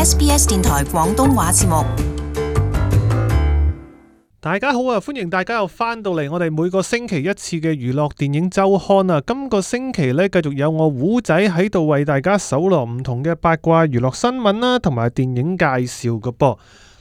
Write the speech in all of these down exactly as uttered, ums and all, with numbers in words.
S B S 電台廣東話節目。大家好啊，歡迎大家又翻到嚟我哋每個星期一次嘅娛樂電影週刊啊。今個星期呢，繼續有我胡仔喺度為大家搜羅唔同嘅八卦娛樂新聞啦，同埋電影介紹嘅噃。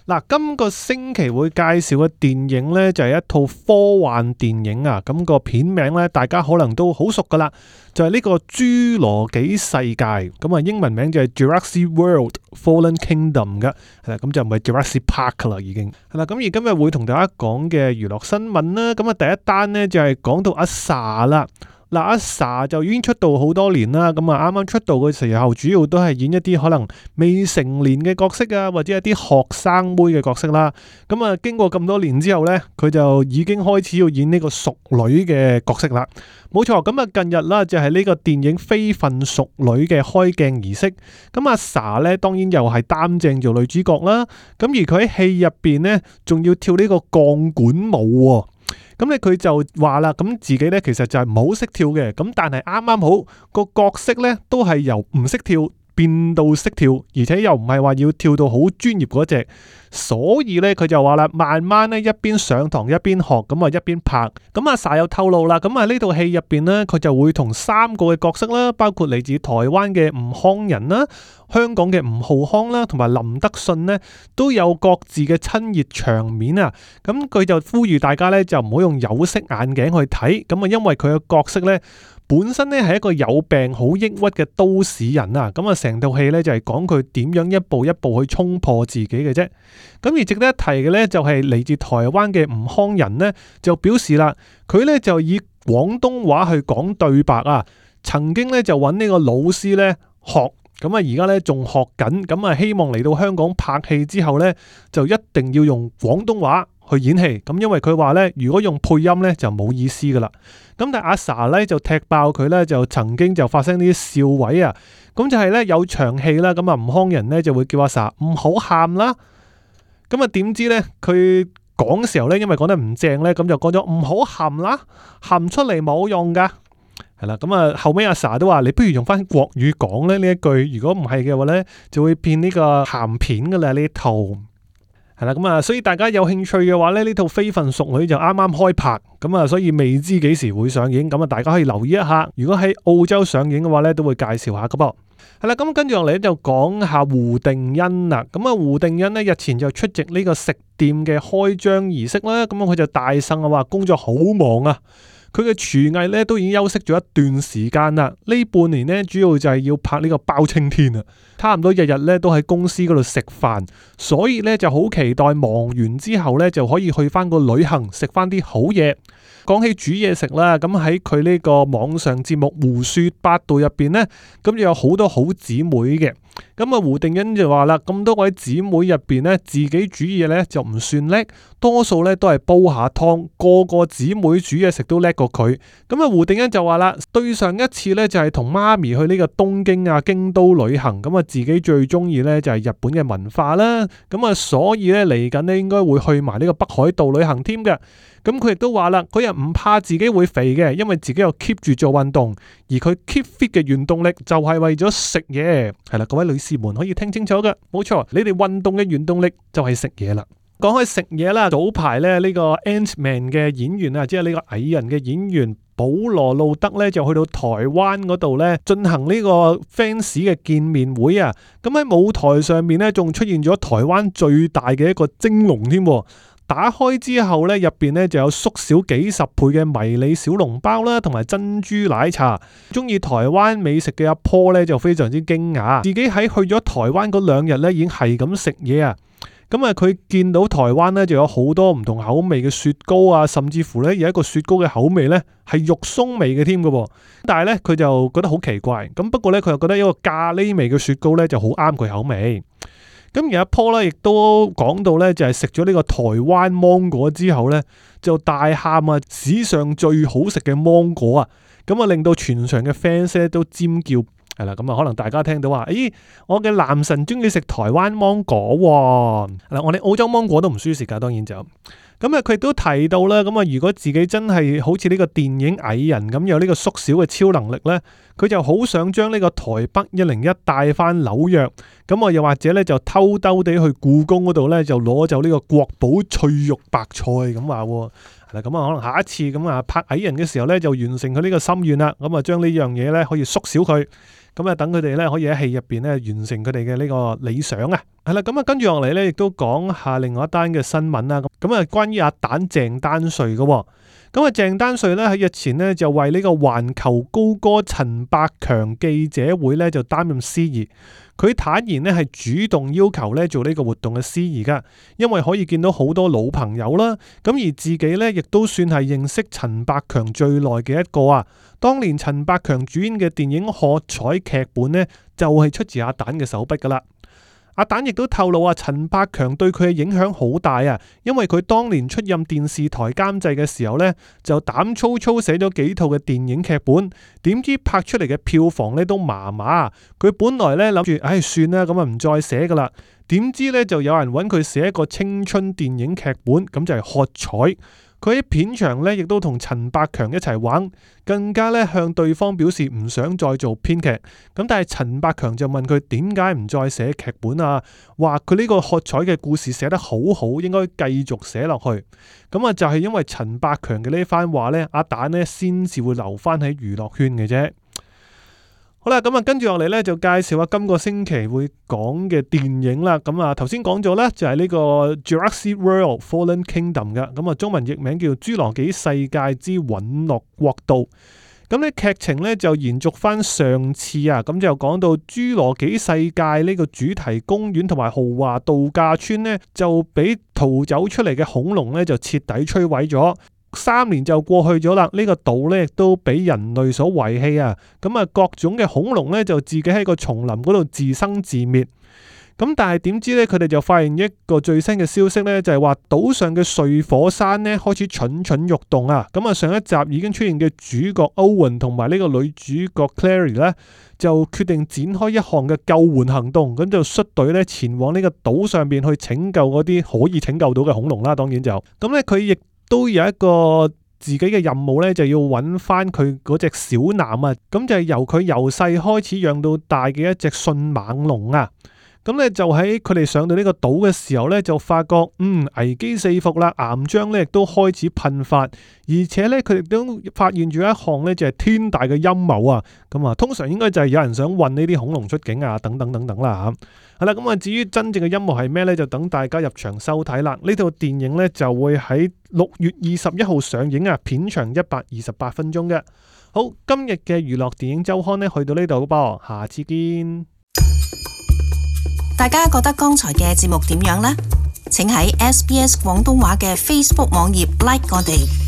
嗱，今個星期會介紹嘅電影呢，就係一套科幻電影啊。咁個片名呢，大家可能都好熟噶啦，就係呢個侏羅紀世界。咁啊，英文名就係 Jurassic World Fallen Kingdom 嘅，係啦，咁就唔係 Jurassic Park 啦，已經係啦。咁而今日會同大家講嘅娛樂新聞啦，咁啊第一單呢，就係講到阿 Sa 啦。嗱，阿 Sa 就已經出道好多年啦，咁啊啱啱出道嘅時候，主要都係演一啲可能未成年嘅角色啊，或者一啲學生妹嘅角色啦。咁啊，經過咁多年之後呢，佢就已經開始要演呢個淑女嘅角色啦。冇錯，咁啊近日啦，就係呢個電影《非分淑女》嘅開鏡儀式。咁阿 Sa 呢，當然又係擔正做女主角啦。咁而佢喺戲入邊呢，仲要跳呢個鋼管舞喎。咁咧佢就話啦，咁自己咧其實就係唔好識跳嘅，咁但係啱啱好個角色咧都係由唔識跳變到識跳，而且又唔係話要跳到好專業嗰隻，所以咧佢就話啦，慢慢咧一邊上堂一邊學，咁啊一邊拍。咁阿 Sa 又透露啦，咁啊呢套戲入邊咧，佢就會同三個嘅角色啦，包括嚟自台灣嘅吳慷仁啦、香港嘅吳浩康啦，同埋林德信呢，都有各自嘅親熱場面啊！咁佢就呼籲大家咧，就唔好用有色眼鏡去睇，咁啊，因為佢嘅角色咧本身咧係一個有病好抑鬱嘅都市人啊！咁啊，成套戲咧就係講佢點樣一步一步去衝破自己嘅啫。咁而值得一提嘅咧，就係嚟自台灣嘅吳慷仁呢，就表示啦，佢咧就以廣東話去講對白啊，曾經咧就揾呢個老師咧學。咁啊，而家咧仲學緊，咁啊希望嚟到香港拍戲之後咧，就一定要用廣東話去演戲。咁因為佢話咧，如果用配音咧就冇意思噶啦。咁但係阿 Sa 咧就踢爆佢咧，就曾經就發生啲笑位啊。咁就係咧有場戲啦，咁啊吳慷仁咧就會叫阿 Sa 唔好喊啦。咁啊點知咧佢講嘅時候咧，因為講得唔正咧，咁就講咗唔好喊啦，喊出嚟冇用噶。係啦，咁啊後尾阿 Sa 都話你不如用翻國語講咧呢一句，如果唔係嘅話咧，就會變呢個鹹片噶啦呢套。係啦，咁啊，所以大家有興趣嘅話咧，呢套《非分淑女》就啱啱開拍，咁啊，所以未知幾時會上映，咁啊，大家可以留意一下。如果喺澳洲上映嘅話咧，都會介紹下噶噃。係啦，咁跟住落嚟就講下胡定欣啦。咁啊，胡定欣呢，日前就出席呢個食店嘅開張儀式啦，咁佢就大呻啊話工作好忙啊。佢嘅廚藝咧都已經休息咗一段時間啦，呢半年咧主要就係要拍呢個包青天啊，差唔多日日咧都喺公司嗰度食飯，所以咧就好期待忙完之後咧就可以去翻個旅行食翻啲好嘢。講起煮嘢食啦，咁喺佢呢個網上節目胡說八道入邊呢，咁就有好多好姊妹嘅。咁啊，胡定欣就話啦，咁多位姊妹入邊呢，自己煮嘢呢就唔算叻，多數呢都係煲下湯，個個姊妹煮嘢食都叻過佢。咁啊，胡定欣就話啦，對上一次呢就係同媽咪去呢個東京啊、京都旅行，咁啊自己最中意呢就係日本嘅文化啦。咁啊，所以呢嚟緊呢應該會去埋呢個北海道旅行添嘅。咁佢亦都話啦，佢又唔怕自己會肥嘅，因為自己又 keep 住做運動，而佢 keep fit 嘅原動力就係為咗食嘢。係啦，各位女士們可以聽清楚㗎，冇錯，你哋運動嘅原動力就係食嘢啦。講開食嘢啦，早排咧呢個 Ant-Man 嘅演員啊，即係呢個蟻人嘅演員保羅路德咧，就去到台灣嗰度咧進行呢個 fans 嘅見面會啊。咁喺舞台上面咧，仲出現咗台灣最大嘅一個蒸籠添。打開之後咧，入邊咧就有縮小幾十倍嘅迷你小籠包啦，同埋珍珠奶茶。中意台灣美食嘅阿坡咧就非常之驚訝，自己喺去咗台灣嗰兩日咧已經係咁食嘢啊！咁啊，佢見到台灣咧就有好多唔同口味嘅雪糕啊，甚至乎咧有一個雪糕嘅口味咧係肉鬆味嘅添嘅。但係咧佢就覺得好奇怪，咁不過咧佢又覺得一個咖喱味嘅雪糕咧就好啱佢口味。咁而阿 Paul 咧，亦都講到咧，就係食咗呢個台灣芒果之後咧，就大喊啊！史上最好食嘅芒果啊！咁啊，令到全場嘅 fans 咧都尖叫，係啦。咁啊，可能大家聽到話，咦，我嘅男神中意食台灣芒果喎。嗱，我哋澳洲芒果都唔輸蝕噶，當然就。咁啊，佢亦都提到啦，咁啊，如果自己真係好似呢個電影蟻人咁有呢個縮小嘅超能力呢，佢就好想將呢個台北一零一帶翻紐約，咁啊，又或者呢，就偷偷地去故宮嗰度呢，就攞走呢個國寶脆肉白菜咁話。嗱，咁啊，可能下一次咁啊拍蟻人嘅時候呢，就完成佢呢個心願啦，咁啊將呢樣嘢呢，可以縮小佢。咁啊，等佢哋咧可以喺戲入邊咧完成佢哋嘅呢個理想啊，係啦，咁啊跟住落嚟咧，亦都講下另外一單嘅新聞啦。咁啊，關於阿蛋鄭丹瑞嘅，咁啊鄭丹瑞咧喺日前咧就為呢個環球高歌陳百強記者會咧就擔任司儀。佢坦言咧係主動要求咧做呢個活動嘅司儀噶，因為可以見到好多老朋友啦，咁而自己咧亦都算係認識陳百強最耐嘅一個啊。當年陳百強主演嘅電影《喝彩》劇本呢，就係出自阿蛋嘅手筆噶啦。阿蛋亦都透露啊，陳百強對佢嘅影響好大啊，因為佢當年出任電視台監製嘅時候呢，就膽粗粗寫咗幾套嘅電影劇本，點知拍出嚟嘅票房呢都麻麻。佢本來呢諗住，唉，算啦，咁啊唔再寫噶啦。點知呢就有人揾佢寫一個青春電影劇本，咁就係《喝彩》。佢喺片場咧，亦都同陳百強一齊玩，更加咧向對方表示唔想再做編劇。咁但係陳百強就問佢點解唔再寫劇本啊？話佢呢個喝彩嘅故事寫得好好，應該繼續寫落去。咁啊就係因為陳百強嘅呢番話咧，阿蛋咧先至會留翻喺娛樂圈嘅啫。好啦，咁啊，跟住落嚟咧就介紹下今個星期會講嘅電影啦。咁啊，頭先講咗咧就係呢個 Jurassic World Fallen Kingdom 嘅，咁啊中文譯名叫《侏羅紀世界之隕落國度》。咁咧劇情咧就延續翻上次啊，咁就講到侏羅紀世界呢個主題公園同埋豪華度假村呢，就俾逃走出嚟嘅恐龍咧就徹底摧毀咗。三年就過去咗啦，呢個島咧亦都俾人類所遺棄啊！咁啊，各種嘅恐龍咧就自己喺個叢林嗰度自生自滅。咁但係點知咧，佢哋就發現一個最新嘅消息咧，就係話島上嘅睡火山咧開始蠢蠢欲動啊！咁啊，上一集已經出現嘅主角 Owen 同埋呢個女主角 Clary 咧，就決定展開一項嘅救援行動，咁就率隊咧前往呢個島上邊去拯救嗰啲可以拯救到嘅恐龍啦。當然就咁咧，佢亦都有一個自己嘅任務咧，就要揾翻佢嗰隻小男啊，咁就係由佢由細開始養到大嘅一隻迅猛龍啊。咁咧就喺佢哋上到呢個島嘅時候咧，就發覺嗯危機四伏啦，岩漿咧亦都開始噴發，而且咧佢哋都發現咗一項咧就係天大嘅陰謀啊！咁啊，通常應該就係有人想運呢啲恐龍出境啊，等等等等啦嚇。係啦，咁啊至於真正嘅陰謀係咩咧，就等大家入場收睇啦。呢套電影咧就會喺六月二十一號上映啊，片長一百二十八分鐘嘅。好，今日嘅娛樂電影週刊咧去到呢度噃，下次見。大家覺得剛才嘅節目點樣呢？請喺 S B S 廣東話嘅 Facebook 網頁 like 我哋。